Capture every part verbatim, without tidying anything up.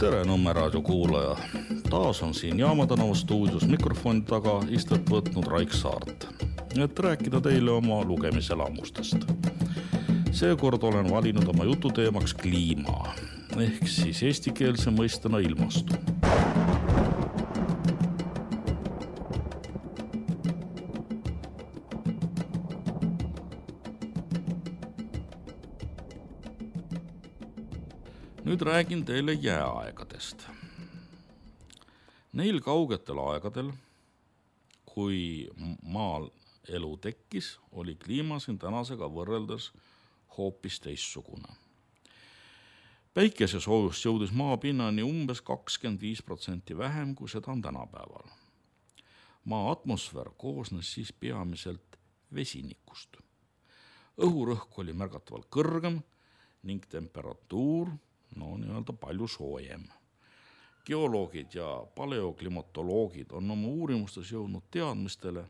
Tere Nõmme raadio kuulaja. Taas on siin Jaama tänava stuudios mikrofoni taga istet võtnud Raik Saart, et rääkida teile oma lugemiselamustest. Seekord olen valinud oma jututeemaks kliima, ehk siis eestikeelse mõistena ilmastu. Nüüd räägin teile jääaegadest. Neil kaugetel aegadel, kui maal elu tekkis, oli kliima siin tänasega võrreldes hoopis teistsugune. Päikese soojust jõudis maapinnani umbes kakskümmend viis protsenti vähem, kui seda on tänapäeval. Maa atmosfäär koosnes siis peamiselt vesinikust. Õhurõhk oli märgatavalt kõrgem ning temperatuur no nii-öelda palju soojem. Geoloogid ja paleoklimatoloogid on oma uurimustes jõudnud teadmistele,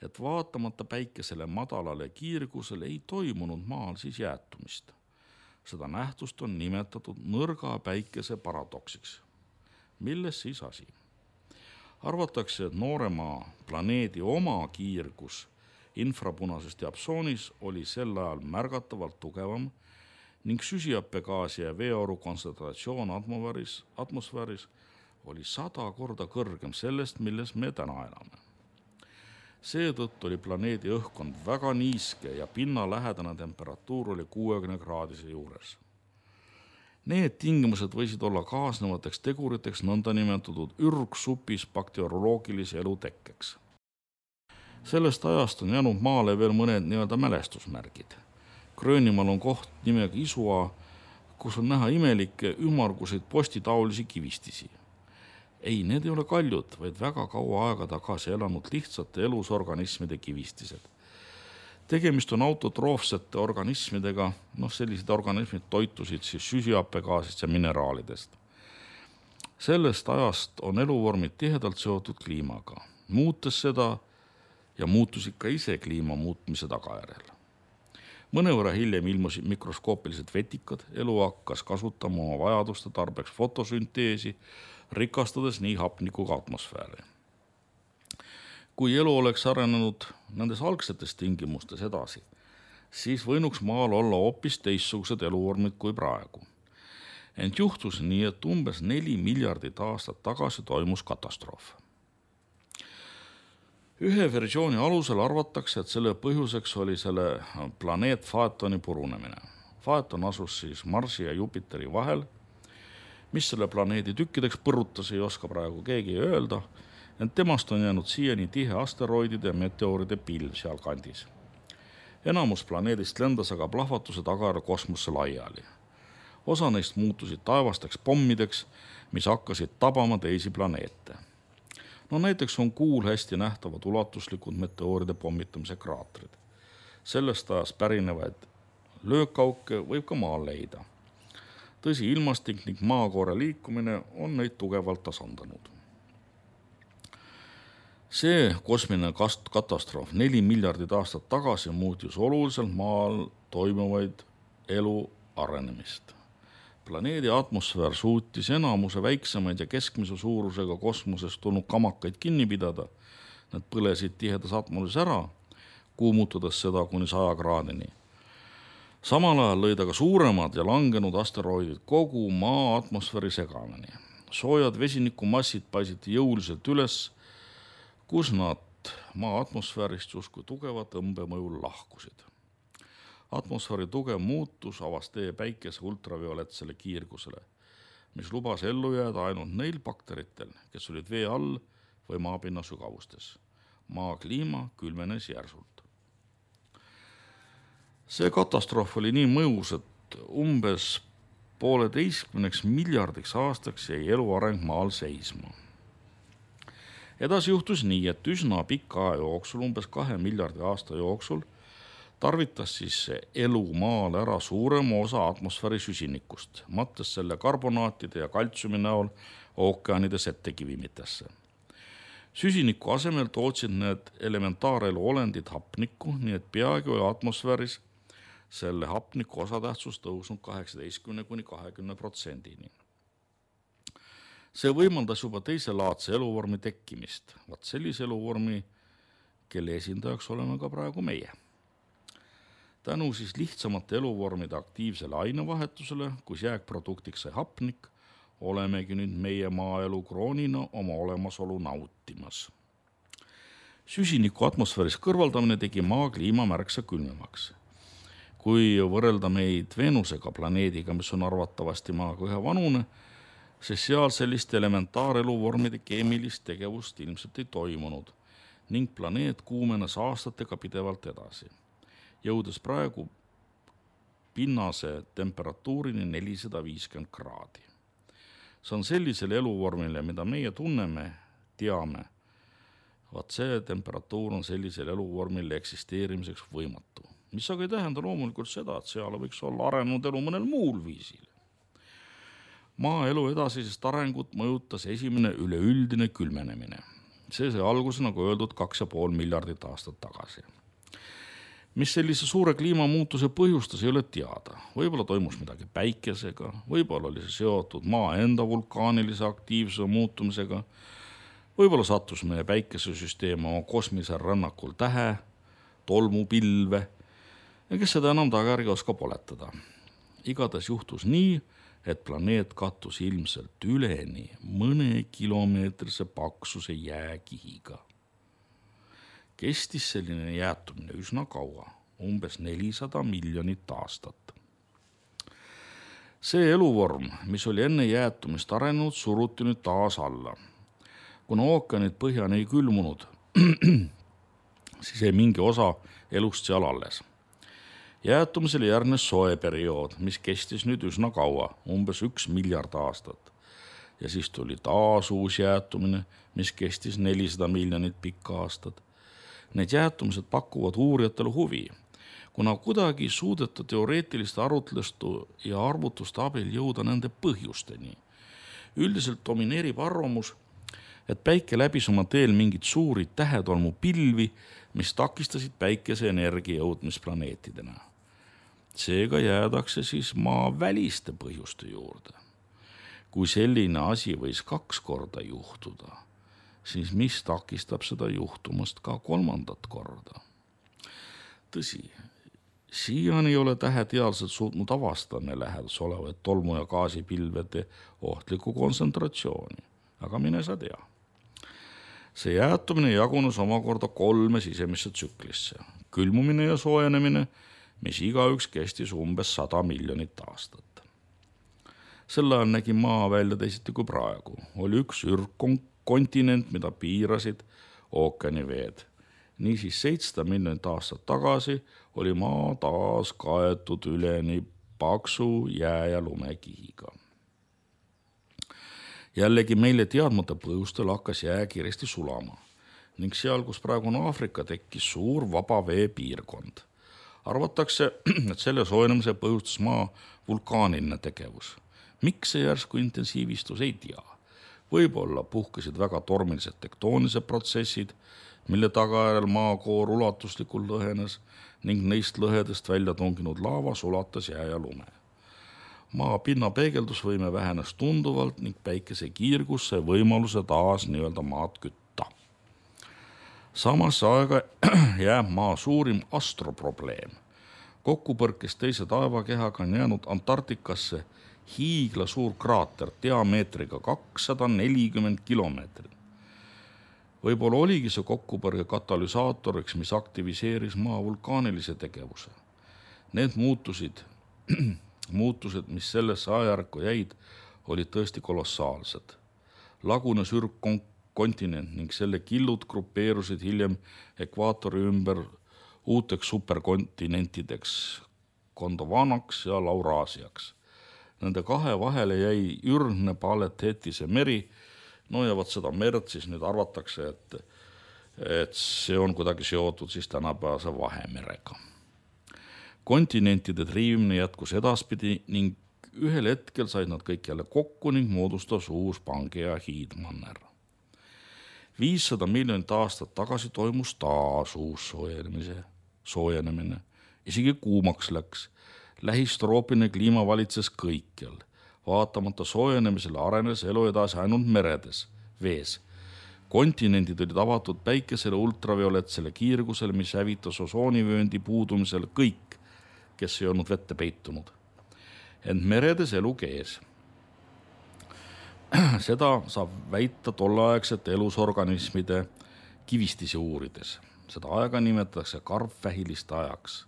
et vaatamata päikesele madalale kiirgusele ei toimunud maal siis jäätumist. Seda nähtust on nimetatud nõrga päikese paradoksiks. Milles siis asi? Arvatakse, et noorema planeedi oma kiirgus infrapunases diapsoonis oli sel ajal märgatavalt tugevam ning süsihappegaasi ja veeoru kontsentratsioon atmosfääris, atmosfääris oli sada korda kõrgem sellest, milles me täna elame. Seetõttu oli planeedi õhkkond väga niiske ja pinnalähedane temperatuur oli kuuekümne kraadise juures. Need tingimused võisid olla kaasnevateks teguriteks nõndanimetatud ürgsupis bakterioloogilise elu tekkeks. Sellest ajast on jäänud maale veel mõned nii-öelda mälestusmärgid. Gröönimaal on koht nimega Isua, kus on näha imelikke ümarguseid postitaolisi kivistisi. Ei, need ei ole kaljud, vaid väga kaua aega tagasi elanud lihtsate elusorganismide kivistised. Tegemist on autotroofsete organismidega, noh sellised organismid toitusid siis süsihappegaasist ja mineraalidest. Sellest ajast on eluvormid tihedalt seotud kliimaga, muutes seda ja muutusid ka ise kliima muutmise tagajärjel. Mõnevõrra hiljem ilmusid mikroskoopilised vetikad, elu hakkas kasutama oma vajaduste tarbeks fotosünteesi, rikastades nii hapnikuga atmosfääri. Kui elu oleks arenenud nendes algsetes tingimustes edasi, siis võinuks maal olla hoopis teistsugused eluvormid kui praegu. Ent juhtus nii, et umbes neli miljardit aastat tagasi toimus katastroof. Ühe versiooni alusel arvatakse, et selle põhjuseks oli selle planeet Faetoni purunemine. Faeton asus siis Marsi ja Jupiteri vahel, mis selle planeedi tükkideks põrutas, ei oska praegu keegi öelda, ent temast on jäänud siiani tihe asteroidide ja meteoride pilv seal kandis. Enamus planeedist lendas aga plahvatuse tagajärjel kosmosse laiali. Osa neist muutusid taevasteks pommideks, mis hakkasid tabama teisi planeete. No näiteks on kuul hästi nähtavad ulatuslikud meteooride pommitamise kraatrid. Sellest ajast pärinevaid löökauke võib ka maal leida. Tõsi, ilmastik ning maakoore liikumine on neid tugevalt tasandanud. See kosmiline katastroof neli miljardit aastat tagasi muutis oluliselt maal toimuvaid elu arenemist. Planeedi atmosfäär suutis enamuse väiksemaid ja keskmise suurusega kosmosest tulnud kamakaid kinni pidada. Nad põlesid tihedas atmosfääris ära, kuumutades seda kuni saja kraadini. Samal ajal lõid aga suuremad ja langenud asteroidid kogu maa atmosfääri segamini. Soojad vesinikumassid paisiti jõuliselt üles, kus nad maa atmosfäärist justkui tugevat õmbemõjul lahkusid. Atmosfääri tugev muutus avas tee päikese ultravioletsele kiirgusele, mis lubas ellu jääda ainult neil bakteritel, kes olid vee all või maapinna sügavustes. Maa kliima külmenes järsult. See katastroof oli nii mõjus, et umbes pooleteistkümneks miljardiks aastaks jäi elu areng maal seisma. Edasi juhtus nii, et üsna pika aja jooksul, umbes kahe miljardi aasta jooksul, tarvitas siis elu maal ära suurema osa atmosfääri süsinikust, mattes selle karbonaatide ja kaltsiumi näol ookeanide settekivimitesse. Süsiniku asemel tootsid need elementaarelu olendid hapnikku, nii et peagi oli atmosfääris selle hapniku osatähtsus tõusnud kaheksateistkümne kuni kahekümne protsendini. See võimaldas juba teiselaadse eluvormi tekkimist, vaat sellise eluvormi, kelle esindajaks oleme ka praegu meie. Tänu siis lihtsamate eluvormide aktiivsele ainevahetusele, kus jääkproduktiks sai hapnik, olemegi nüüd meie maaelu kroonina oma olemasolu nautimas. Süsiniku atmosfääris kõrvaldamine tegi maa kliima märksa külmemaks. Kui võrrelda meid Venusega planeediga, mis on arvatavasti maaga ühe vanune, sest seal sellist elementaareluvvormide keemilist tegevust ilmselt ei toimunud ning planeet kuumenes aastatega pidevalt edasi, jõudes praegu pinnase temperatuurini nelisada viiskümmend kraadi. See on sellisele eluvormile, mida meie tunneme, teame. Vaat see temperatuur on sellisele eluvormile eksisteerimiseks võimatu. Mis aga ei tähenda loomulikult seda, et seal võiks olla arenenud elu mõnel muul viisil. Maaelu edasisest arengut mõjutas esimene üleüldine külmenemine. See sai alguse, nagu öeldud, kaks ja pool miljardit aastat tagasi. Mis sellise suure kliimamuutuse põhjustas, ei ole teada. Võib-olla toimus midagi päikesega, võib-olla oli see seotud maa enda vulkaanilise aktiivsuse muutumisega, võib-olla sattus meie päikesesüsteem oma kosmisel rännakul tähe, tolmupilve, ja kes seda enam tagajärgi oskab oletada. Igatahes juhtus nii, et planeet kattus ilmselt üleni mõne kilomeetrise paksuse jääkihiga. Kestis selline jäätumine üsna kaua, umbes nelisada miljonit aastat. See eluvorm, mis oli enne jäätumist arenenud, suruti nüüd taas alla. Kuna ookeanid põhjani ei külmunud, siis ei mingi osa elust seal alles. Jäätumisele järgnes soe periood, mis kestis nüüd üsna kaua, umbes üks miljard aastat. Ja siis tuli taas uus jäätumine, mis kestis nelisada miljonit pikka aastat. Need jäätumised pakuvad uurijatele huvi, kuna kuidagi suudeta teoreetiliste arutluste ja arvutuste abil jõuda nende põhjusteni. Üldiselt domineerib arvamus, et päike läbis oma teel mingid suuri tähetolmu pilvi, mis takistasid päikese energia jõudmist planeetidena. Seega jäädakse siis maa väliste põhjuste juurde. Kui selline asi võis kaks korda juhtuda, siis mis takistab seda juhtumast ka kolmandat korda? Tõsi, siiani ei ole täheteadlased suutnud avastada lähedus olevaid tolmu- ja gaasipilvede ohtliku kontsentratsiooni, aga mine sa tea. See jäätumine jagunes omakorda kolme sisemisse tsüklisse. Külmumine ja soojenemine, mis igaüks kestis umbes sada miljonit aastat. Sel ajal nägi maa välja teisiti kui praegu. Oli üks ürgkontinent, mida piirasid ookeaniveed. Niisiis seitsesada miljonit aastat tagasi oli maa taas kaetud üleni paksu jää- ja lumekihiga. Jällegi meile teadmata põhjustel hakkas jää kiiresti sulama ning seal, kus praegu on Aafrika, tekkis suur vaba vee piirkond. Arvatakse, et selle soojenemise põhjustas maa vulkaaniline tegevus. Miks see järsku intensiivistus, ei tea. Võib-olla puhkesid väga tormilised tektoonised protsessid, mille tagajärjel maakoor ulatuslikult lõhenes ning neist lõhedest välja tunginud laava sulatas jää ja lume. Maa pinna peegeldusvõime vähenes tunduvalt ning päikese kiirgus sai võimaluse taas nii-öelda maad kütta. Samas aega jääb maa suurim astroprobleem. Kokkupõrkes teise taevakehaga on jäänud Antarktikasse hiigla suur kraater diameetriga kakssada nelikümmend kilomeetrit. Võib-olla oligi see kokkupõrge katalüsaatoriks, mis aktiviseeris maa vulkaanilise tegevuse. Need muutusid, muutused, mis sellesse ajärku jäid, olid tõesti kolossaalsed. Lagunes ürgkontinent ning selle killud grupeerusid hiljem ekvaatori ümber uuteks superkontinentideks, Gondwanaks ja Lauraasiaks. Nende kahe vahele jäi ürgne Paletetise meri. No ja võt seda merd siis nüüd arvatakse, et, et see on kuidagi seotud siis tänapäevase Vahemerega. Kontinentide triivimine jätkus edaspidi ning ühel hetkel said nad kõik jälle kokku ning moodustas uus Pangea hiidmanner. viissada miljonit aastat tagasi toimus taas uus soojenemise, soojenemine. Isegi kuumaks läks. Lähistroopiline kliima valitses kõikjal. vaatamata soojenemisele arenes elu edasi ainult meredes, vees. Kontinendid olid avatud päikesele ultravioletsele kiirgusele, mis hävitas osoonivööndi puudumisel kõik, kes ei olnud vette peitunud. Ent meredes elu kees. Seda saab väita tolleaegsete elusorganismide kivistisi uurides. Seda aega nimetatakse karvvähiliste ajaks.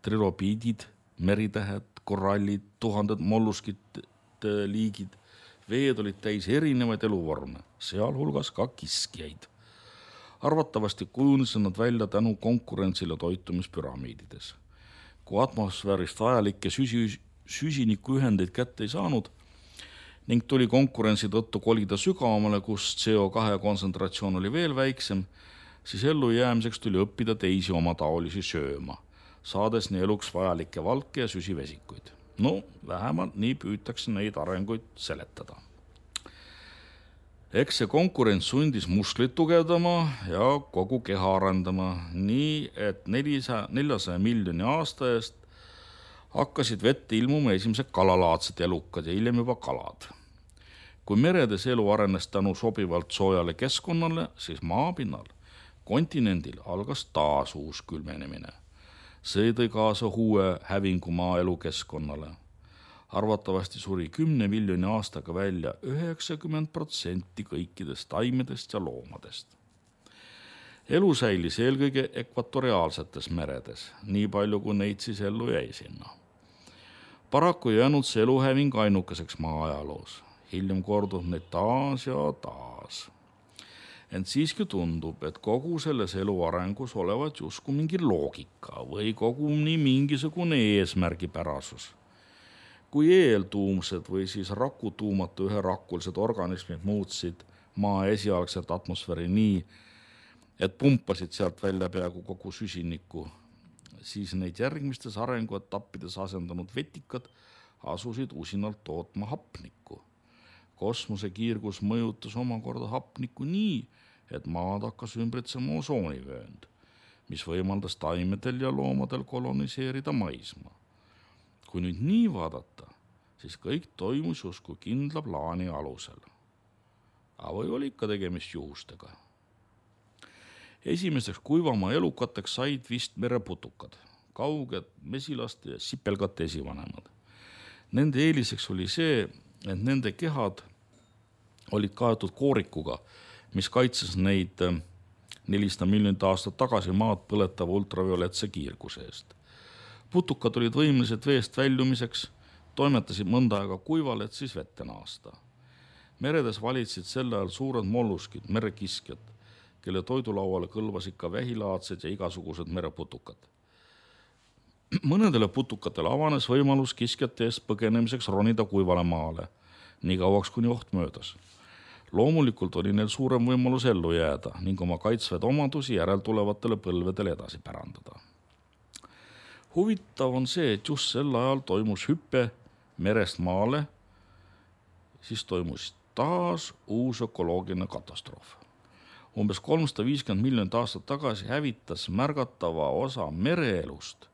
Trilobiidid, meritähed, korallid, tuhanded molluskid, liigid, veed olid täis erinevaid eluvorme, sealhulgas ka kiskjaid. Arvatavasti kujunesid nad välja tänu konkurentsile toitumispüramiidides. Kui atmosfäärist vajalikke süsi, süsinikuühendeid kätte ei saanud ning tuli konkurentsi tõttu kolida sügavamale, kus C O kahe kontsentratsioon oli veel väiksem, siis ellu jäämiseks tuli õppida teisi omataolisi sööma, saades nii eluks vajalikke valke ja süsivesikuid. No, vähemalt nii püütakse neid arenguid seletada. Eks see konkurents sundis musklit tugevdama ja kogu keha arendama, nii et neljasaja miljoni aasta eest hakkasid vette ilmuma esimesed kalalaadsed elukad ja hiljem juba kalad. Kui meredes elu arenes tänu sobivalt soojale keskkonnale, siis maapinnal, kontinendil algas taas uus külmenemine. See tõi kaasa uue hävingu maa elukeskkonnale. Arvatavasti suri kümne miljoni aastaga välja üheksakümmend protsenti kõikidest taimedest ja loomadest. Elu säilis eelkõige ekvatoriaalsetes meredes, nii palju kui neid siis ellu jäi sinna. Paraku ei jäänud see eluhäving ainukeseks maa ajaloos. Hiljem kordub neid taas ja taas. Ent siiski tundub, et kogu selles elu arengus olevat justkui mingi loogika või koguni mingisugune eesmärgipärasus. Kui eeltuumsed või siis rakutuumatu üherakulised organismid muutsid maa esialgselt atmosfääri nii, et pumpasid sealt välja peaaegu kogu süsinikku, siis neid järgmistes arenguetappides asendanud vetikad asusid usinalt tootma hapnikku. Kosmose kiirgus mõjutas omakorda hapnikku nii, et maad hakkas ümbritsema osoonivöönd, mis võimaldas taimedel ja loomadel koloniseerida maismaa. Kui nüüd nii vaadata, siis kõik toimus justkui kindla plaani alusel. Aga või oli ikka tegemist juhustega? Esimeseks kuivamaa elukateks said vist mereputukad, kauged mesilaste ja sipelgate esivanemad. Nende eeliseks oli see, et nende kehad olid kaetud koorikuga, mis kaitses neid nelisada miljonit aastat tagasi maad põletava ultravioletse kiirguse eest. Putukad olid võimelised veest väljumiseks, toimetasid mõnda aega kuival, et siis vette naasta. Meredes valitsid selle ajal suured molluskid, merekiskjad, kelle toidulauale kõlvasid ka vähilaadsed ja igasugused mereputukad. Mõnedele putukatele avanes võimalus kiskjate eest põgenemiseks ronida kuivale maale, nii kauaks kuni oht möödas. Loomulikult oli neil suurem võimalus ellu jääda ning oma kaitsvaid omadusi järeltulevatele põlvedele edasi pärandada. Huvitav on see, et just sel ajal toimus hüppe merest maale, siis toimus taas uus ökoloogiline katastroof. Umbes kolmsada viiskümmend miljonit aastat tagasi hävitas märgatava osa mereelust,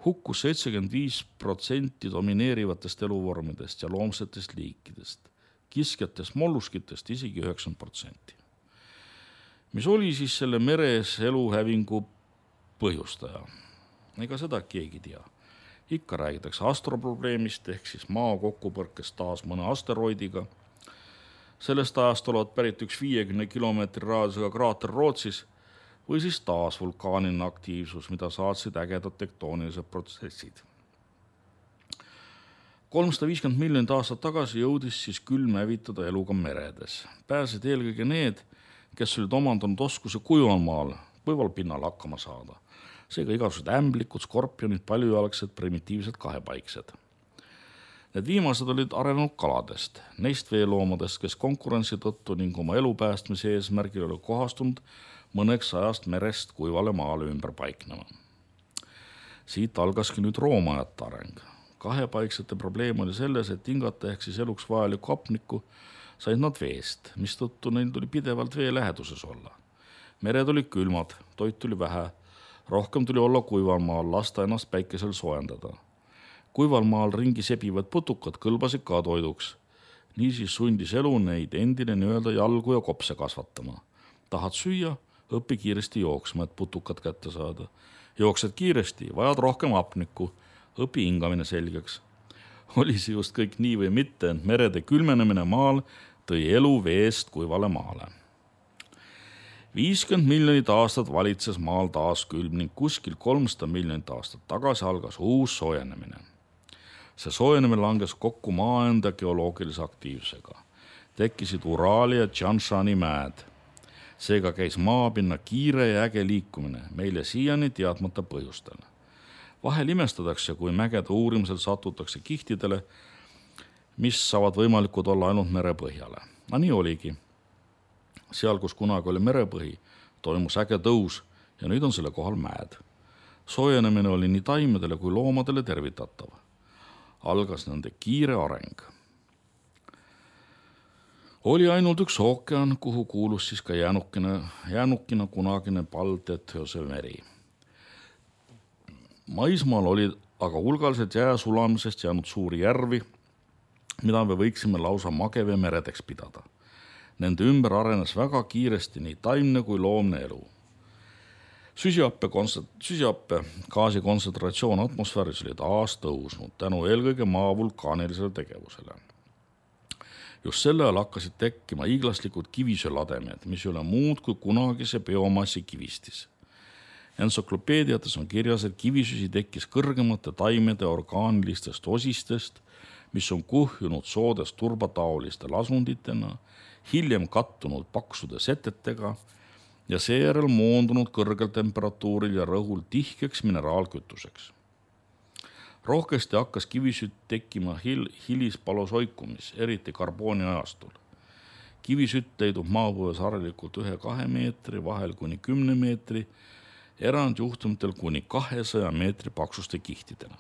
hukkus seitsekümmend viis protsenti domineerivatest eluvormidest ja loomsetest liikidest, kiskjatest molluskitest isegi üheksakümmend protsenti. Mis oli siis selle meres eluhävingu põhjustaja? Ega seda keegi tea. Ikka räägitakse astroprobleemist ehk siis maa kokkupõrkest taas mõne asteroidiga. Sellest ajast olevat pärit üks viiekümne kilomeetri raadiusega kraater Rootsis või siis taas vulkaaniline aktiivsus, mida saatsid ägedad tektoonilised protsessid. kolmsada viiskümmend miljonit aastat tagasi jõudis siis külm hävitada eluga meredes. Pääsid eelkõige need, kes olid omandanud oskuse kuival maal, kuival pinnal hakkama saada. Seega igasugused ämblikud, skorpionid, paljujalgsed, primitiivsed kahepaiksed. Need viimased olid arenenud kaladest, neist veeloomadest, kes konkurentsi tõttu ning oma elu päästmise eesmärgil oli kohastunud mõneks ajast merest kuivale maale ümber paiknema. Siit algaski nüüd roomajate areng. Kahepaiksete probleem oli selles, et hingata ehk siis eluks vajalikku hapnikku said nad veest, mis tõttu neil tuli pidevalt vee läheduses olla. Mered olid külmad, toit tuli vähe, rohkem tuli olla kuival maal, lasta ennast päikesel soojendada. Kuival maal ringi sebivad putukad kõlbasid ka toiduks. Niisiis sundis elu neid endine nii-öelda jalgu ja kopse kasvatama. Tahad süüa, õpi kiiresti jooksma, et putukad kätte saada. Jooksed kiiresti, vajad rohkem hapnikku, õpi hingamine selgeks. Oli see just kõik nii või mitte, ent merede külmenemine maal tõi elu veest kuivale maale. viiskümmend miljonit aastat valitses maal taas külm ning kuskil kolmsada miljonit aastat tagasi algas uus soojenemine. See soojenemine langes kokku maa enda geoloogilise aktiivsusega. Tekkisid Uraali ja Tšanšani mäed. Seega käis maapinna kiire ja äge liikumine meile siiani teadmata põhjustel. Vahel imestatakse, kui mägede uurimisel satutakse kihtidele, mis saavad võimalikud olla ainult merepõhjale. No nii oligi. Seal, kus kunagi oli merepõhi, toimus äge tõus ja nüüd on selle kohal mäed. Soojenemine oli nii taimedele kui loomadele tervitatav. Algas nende kiire areng. Oli ainult üks ookean, kuhu kuulus siis ka jäänukina, jäänukina kunagine Baltethööse meri. Maismaal oli aga hulgaliselt jää sulamisest jäänud suuri järvi, mida me võiksime lausa magevee meredeks pidada. Nende ümber arenes väga kiiresti nii taimne kui loomne elu. Süsihappe, süsihappe gaasi kontsentratsioon atmosfääris oli taas tõusnud tänu eelkõige maa vulkaanilisele tegevusele. Just selle ajal hakkasid tekkima hiiglaslikud kivisöölademed, mis ei ole muud kui kunagise biomassi kivistis. Entsüklopeediates on kirjas, et kivisüsi tekkis kõrgemate taimede orgaanilistest osistest, mis on kuhjunud soodest turbataoliste lasunditena, hiljem kattunud paksude setetega ja seejärel moondunud kõrgel temperatuuril ja rõhul tihkeks mineraalkütuseks. Rohkesti hakkas kivisütt tekkima hil- hilispalosoikumis, eriti karbooni ajastul. Kivisütt leidub maapõues harilikult ühe-kahe meetri, vahel kuni kümne meetri, erandjuhtumitel kuni kahesaja meetri paksuste kihtidena.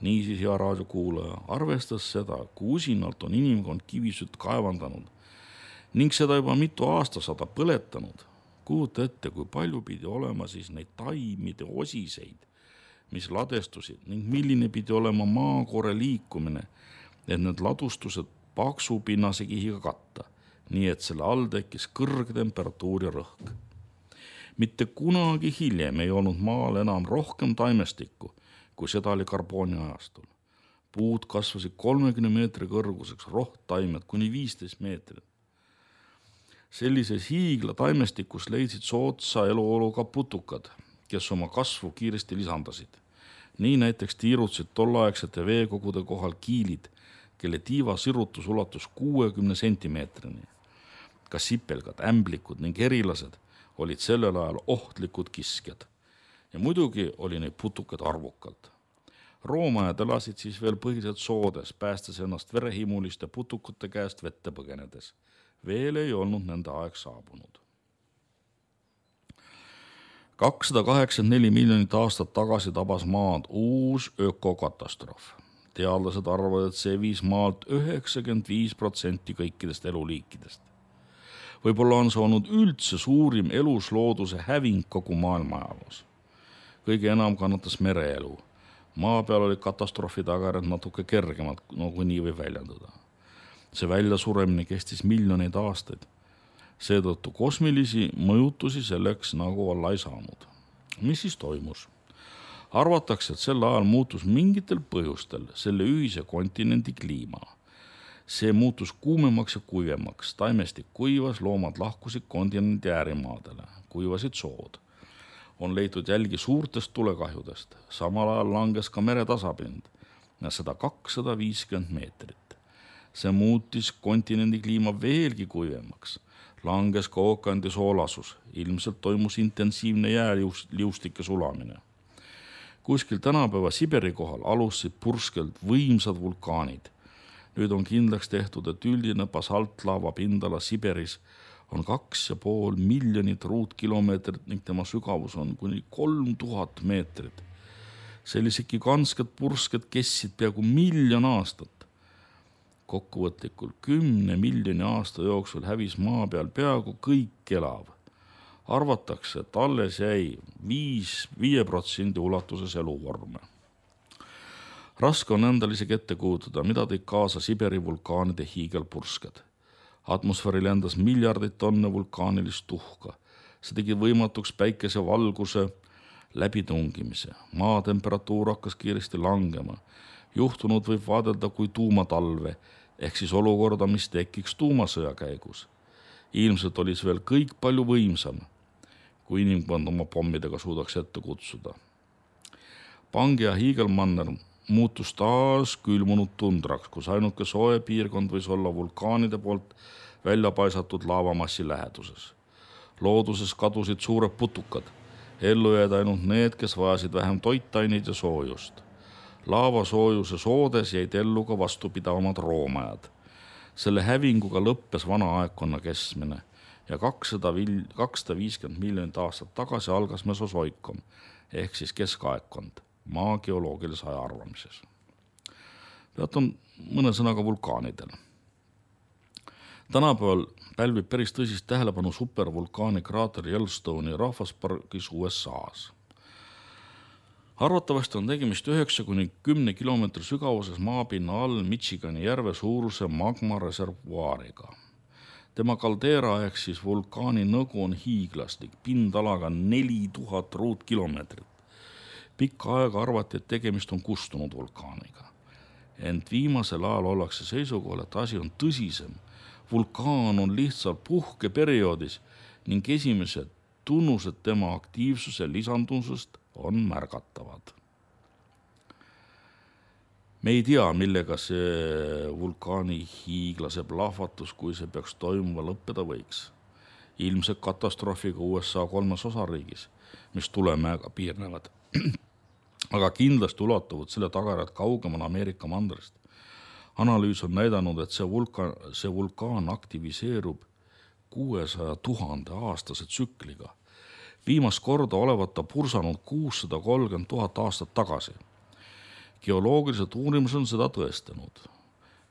Niisiis, hea raadiokuulaja, arvestas seda, kui usinalt on inimkond kivisütt kaevandanud ning seda juba mitu aastasada põletanud. Kujuta ette, kui palju pidi olema siis neid taimide osiseid, mis ladestusid ning milline pidi olema maakoore liikumine, et need ladustused paksu pinnase kihiga katta, nii et selle all tekkis kõrge temperatuur ja rõhk. Mitte kunagi hiljem ei olnud maal enam rohkem taimestikku, kui seda oli karbooni ajastul. Puud kasvasid kolmekümne meetri kõrguseks, rohttaimed kuni viisteist meetrit. Sellises hiigla taimestikus leidsid soodsa eluoluga putukad, kes oma kasvu kiiresti lisandasid. Nii näiteks tiirutsid tolleaegsete veekogude kohal kiilid, kelle tiiva sirutus ulatus kuuekümne sentimeetrini. Ka sipelgad, ämblikud ning erilased olid sellel ajal ohtlikud kiskjad. Ja muidugi oli neid putukad arvukalt. Roomajad elasid siis veel põhiliselt soodes, päästes ennast verehimuliste putukute käest vette põgenedes. Veel ei olnud nende aeg saabunud. kakssada kaheksakümmend neli miljonit aastat tagasi tabas maad uus ökokatastroof. Teadlased arvavad, et see viis maalt üheksakümmend viis protsenti kõikidest eluliikidest. Võib-olla on see olnud üldse suurim eluslooduse häving kogu maailma ajaloos. Kõige enam kannatas mereelu. Maa peal oli katastroofi tagajärjed natuke kergemad, nagu nii võib väljendada. See väljasuremine kestis miljoneid aastaid. Seetõttu kosmilisi mõjutusi selleks nagu olla ei saanud. Mis siis toimus? Arvatakse, et sel ajal muutus mingitel põhjustel selle ühise kontinendi kliima. See muutus kuumemaks ja kuivemaks. Taimestik kuivas, loomad lahkusid kontinendi äärimaadele, kuivasid sood. On leitud jälgi suurtest tulekahjudest. Samal ajal langes ka mere tasapind ja seda kakssada viiskümmend meetrit. See muutis kontinendi kliima veelgi kuivemaks. Langes ka ookeandi soolasus. Ilmselt toimus intensiivne jääliustike sulamine. Kuskil tänapäeva Siberi kohal alustasid purskelt võimsad vulkaanid. Nüüd on kindlaks tehtud, et üldine basaltlaava pindala Siberis on kaks ja pool miljonit ruutkilomeetrit ning tema sügavus on kuni kolm tuhat meetrit. Sellised gigantsked pursked kestsid peaaegu miljon aastat. Kokkuvõtlikult kümne miljoni aasta jooksul hävis maa peal peaaegu kõik elav. Arvatakse, et alles jäi viis, viie protsendi ulatuses eluvorme. Raske on endal isegi ette kujutada, mida tõid kaasa Siberi vulkaanide hiigelpursked. Atmosfääri lendas miljardeid tonne vulkaanilist tuhka. See tegi võimatuks päikese valguse läbitungimise. Maa temperatuur hakkas kiiresti langema. Juhtunud võib vaadelda kui tuumatalve, ehk siis olukorda, mis tekiks tuumasõja käigus. Ilmselt oli see veel kõik palju võimsam, kui inimkond oma pommidega suudaks ette kutsuda. Pangea hiigelmanner muutus taas külmunud tundraks, kus ainuke soe piirkond võis olla vulkaanide poolt välja paisatud laavamassi läheduses. Looduses kadusid suured putukad, ellu jäid ainult need, kes vajasid vähem toitaineid ja soojust. Laava soojuse soodes jäid ellu ka vastupidavamad roomajad. Selle hävinguga lõppes vana aegkonna kestmine ja kakssada viiskümmend miljonit aastat tagasi algas mesosoikum ehk siis keskaegkond maa geoloogilise aja arvamises. Peatun mõne sõnaga vulkaanidel. Tänapäeval pälvib päris tõsist tähelepanu supervulkaani kraater Yellowstone'i rahvaspargis U S A-s. Arvatavasti on tegemist üheksa kuni kümne kilomeetri sügavuses maapinna all Michigani järve suuruse magma reservuaariga. Tema kaldeera ehk siis vulkaani nõgu on hiiglaslik, pindalaga neli tuhat ruutkilomeetrit. Pikka aega arvati, et tegemist on kustunud vulkaaniga. Ent viimasel ajal ollakse seisukohal, et asi on tõsisem. Vulkaan on lihtsalt puhkeperioodis ning esimesed tunnused tema aktiivsuse lisandusest on märgatavad. Me ei tea, millega see vulkaani hiiglase plahvatus, kui see peaks toimuma, lõppeda võiks. Ilmselt katastroofiga U S A kolmes osariigis, mis tulemäega piirnevad. Aga kindlasti ulatuvad selle tagajärjed kaugemal Ameerika mandrist. Analüüs on näidanud, et see vulkaan, see vulkaan aktiviseerub kuuesaja tuhande aastase tsükliga. Viimast korda olevat ta pursanud kuussada kolmkümmend tuhat aastat tagasi. Geoloogilised uurimused on seda tõestanud.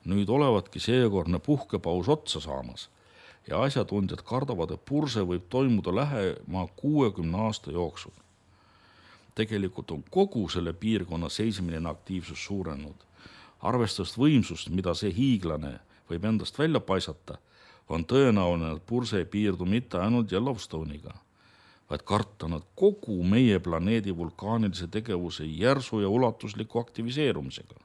Nüüd olevatki seekordne puhkepaus otsa saamas ja asjatundjad kardavad, et purse võib toimuda lähema kuuekümne aasta jooksul. Tegelikult on kogu selle piirkonna seismiline aktiivsus suurenud. Arvestades võimsust, mida see hiiglane võib endast välja paisata, on tõenäoline, et purse ei piirdu mitte ainult Yellowstone'iga, vaid kartan, et kogu meie planeedi vulkaanilise tegevuse järsu ja ulatusliku aktiviseerumisega.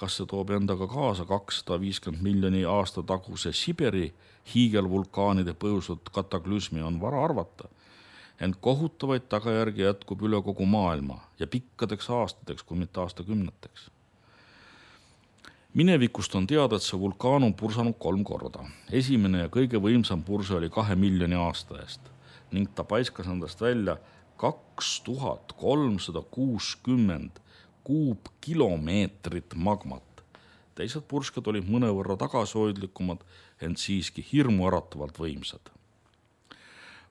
Kas see toob endaga kaasa kakssada viiskümmend miljoni aasta taguse Siberi hiigelvulkaanide põhjustatud kataklüsmi, on vara arvata, ent kohutavaid tagajärgi jätkub üle kogu maailma ja pikkadeks aastateks, kui mitte aastakümneteks. Minevikust on teada, et see vulkaan on pursanud kolm korda. Esimene ja kõige võimsam purse oli kahe miljoni aasta eest ning ta paiskas endast välja kaks tuhat kolmsada kuuskümmend kuupkilomeetrit magmat. Teised pursked olid mõnevõrra tagasihoidlikumad, ent siiski hirmu äratavalt võimsad.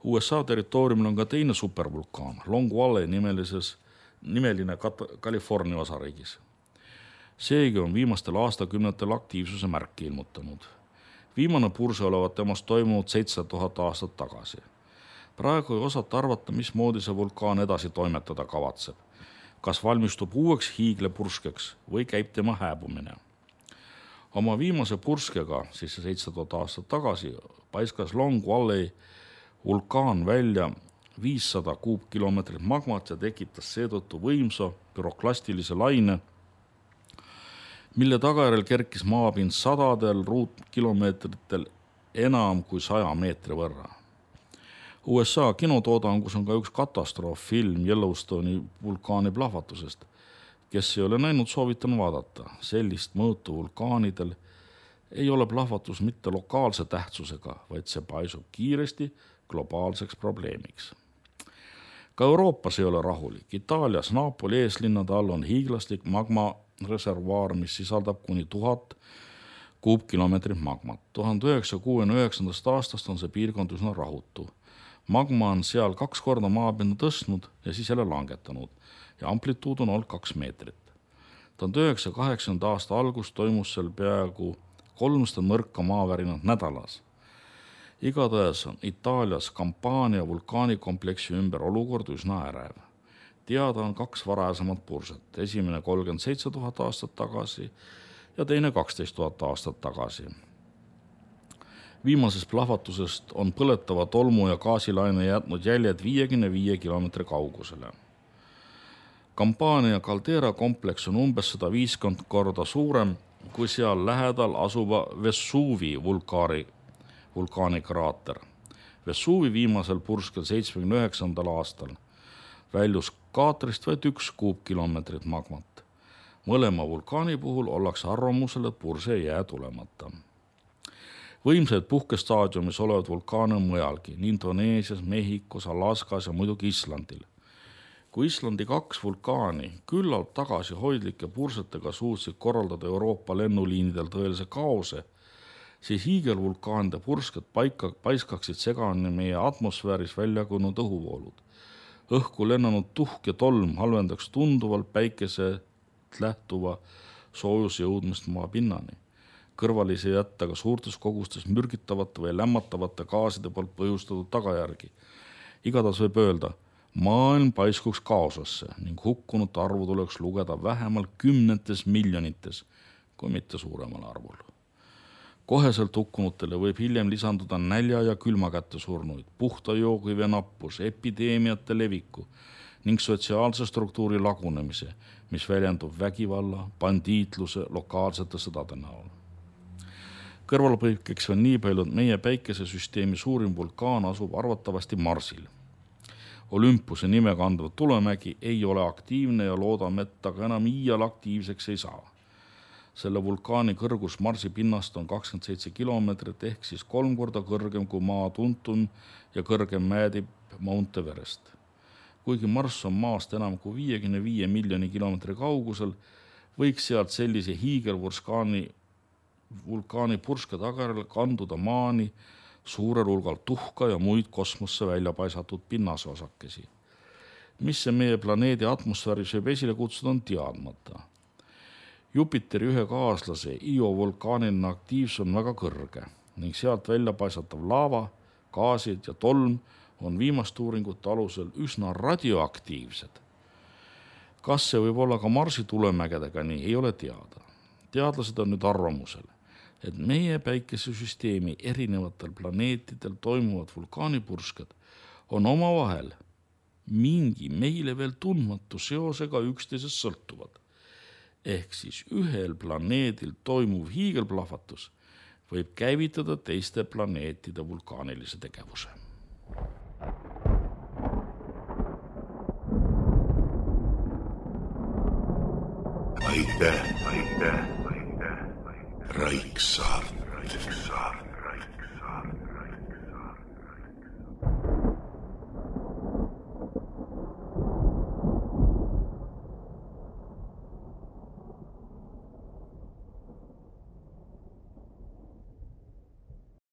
U S A territooriumil on ka teine supervulkaan, Long Valley nimelises, nimeline California osariigis. Seegi on viimastel aastakümnetel aktiivsuse märki ilmutanud. Viimane purse olevat temast toimunud seitse tuhat aastat tagasi. Praegu ei osata arvata, mismoodi see vulkaan edasi toimetada kavatseb. Kas valmistub uueks hiiglepurskeks või käib tema hääbumine. Oma viimase purskega, siis see seitse tuhat aastat tagasi, paiskas Long Valley vulkaan välja viissada kuupkilomeetrit magmat ja tekitas seetõttu võimsa püroklastilise laine, mille tagajärjel kerkis maapind sadadel ruutkilomeetritel enam kui saja meetri võrra. U S A kinotoodangus on ka üks katastrooffilm Yellowstone'i vulkaani plahvatusest. Kes ei ole näinud, soovitan vaadata. Sellist mõõtu vulkaanidel ei ole plahvatus mitte lokaalse tähtsusega, vaid see paisub kiiresti globaalseks probleemiks. Ka Euroopas ei ole rahulik. Itaalias Napoli eeslinnade all on hiiglaslik magmareservuaar, mis sisaldab kuni tuhat kuupkilomeetrit magmat. tuhande üheksasaja kuuekümne üheksandast aastast on see piirkond üsna rahutu. Magma on seal kaks korda maapinda tõstnud ja siis jälle langetanud ja amplituud on olnud kaks meetrit. tuhande üheksasaja kaheksakümnenda aasta algus toimus seal peaaegu kolmsada nõrka maavärinat nädalas. Igatahes on Itaalias Campania vulkaanikompleksi ümber olukord üsna ärev. Teada on kaks varasemat purset, esimene kolmkümmend seitse tuhat aastat tagasi ja teine kaksteist tuhat aastat tagasi. Viimasest plahvatusest on põletava tolmu ja gaasilaine jätnud jäljed viiekümne viie kilomeetri kaugusele. Campania Caldera kompleks on umbes sada viiskümmend korda suurem kui seal lähedal asuva Vesuvi vulkaani, vulkaani kraater. Vesuvi viimasel purskel seitsmekümne üheksandal aastal väljus kaatrist vaid üks kuupkilomeetrit magmat. Mõlema vulkaani puhul ollakse arvamusel, et purse ei jää tulemata. Võimsaid puhkestaadiumis olevad vulkaane on mujalgi, nii Indoneesias, Mehhikos, Alaskas ja muidugi Islandil. Kui Islandi kaks vulkaani küllalt tagasihoidlike pursetega suutsid korraldada Euroopa lennuliinidel tõelise kaose, siis hiigelvulkaanide pursked paika, paiskaksid segani meie atmosfääris välja kujunenud õhuvoolud. Õhku lennanud tuhk ja tolm halvendaks tunduvalt päikeselt lähtuva soojuse jõudmist maa pinnani. Kõrvalisi jätta ka suurtes kogustes mürgitavate või lämmatavate gaaside poolt põhjustatud tagajärgi. Igatahes võib öelda, maailm paiskuks kaosasse ning hukkunud arvu tuleks lugeda vähemalt kümnetes miljonites, kui mitte suuremal arvul. Koheselt hukkunutele võib hiljem lisanduda nälja ja külma kätte surnuid, puhta joogivee nappus, epideemiate leviku ning sotsiaalse struktuuri lagunemise, mis väljendub vägivalla, bandiitluse, lokaalsete sõdade näol. Kõrvalpõikeks on nii palju, et meie päikesesüsteemi suurim vulkaan asub arvatavasti Marsil. Olympuse nime kandva Tulemägi ei ole aktiivne ja loodame, et ta ka enam iial aktiivseks ei saa. Selle vulkaani kõrgus Marsi pinnast on kakskümmend seitse kilomeetrit ehk siis kolm korda kõrgem kui maa tuntum ja kõrgem mäedib Mount Everest. Kuigi Mars on maast enam kui viiekümne viie miljoni kilomeetri kaugusel, võiks sealt sellise hiigelvulkaani vulkaani purske tagajärjel kanduda maani suurel hulgal tuhka ja muid kosmosse välja paisatud pinnase osakesi. Mis see meie planeedi atmosfääris võib esile kutsuda, on teadmata. Jupiteri ühe kaaslase Io vulkaaniline aktiivsus on väga kõrge ning sealt välja paisatav laava, gaasid ja tolm on viimast uuringute alusel üsna radioaktiivsed. Kas see võib olla ka Marsi tulemägedega nii, ei ole teada. Teadlased on nüüd arvamusel, et meie päikesesüsteemi erinevatel planeetidel toimuvad vulkaanipursked on omavahel mingi meile veel tundmatu seosega üksteisest sõltuvad. Ehk siis ühel planeedil toimuv hiigelplahvatus võib käivitada teiste planeetide vulkaanilise tegevuse. Aitäh, aitäh, aitäh, aitäh. Raiksaart.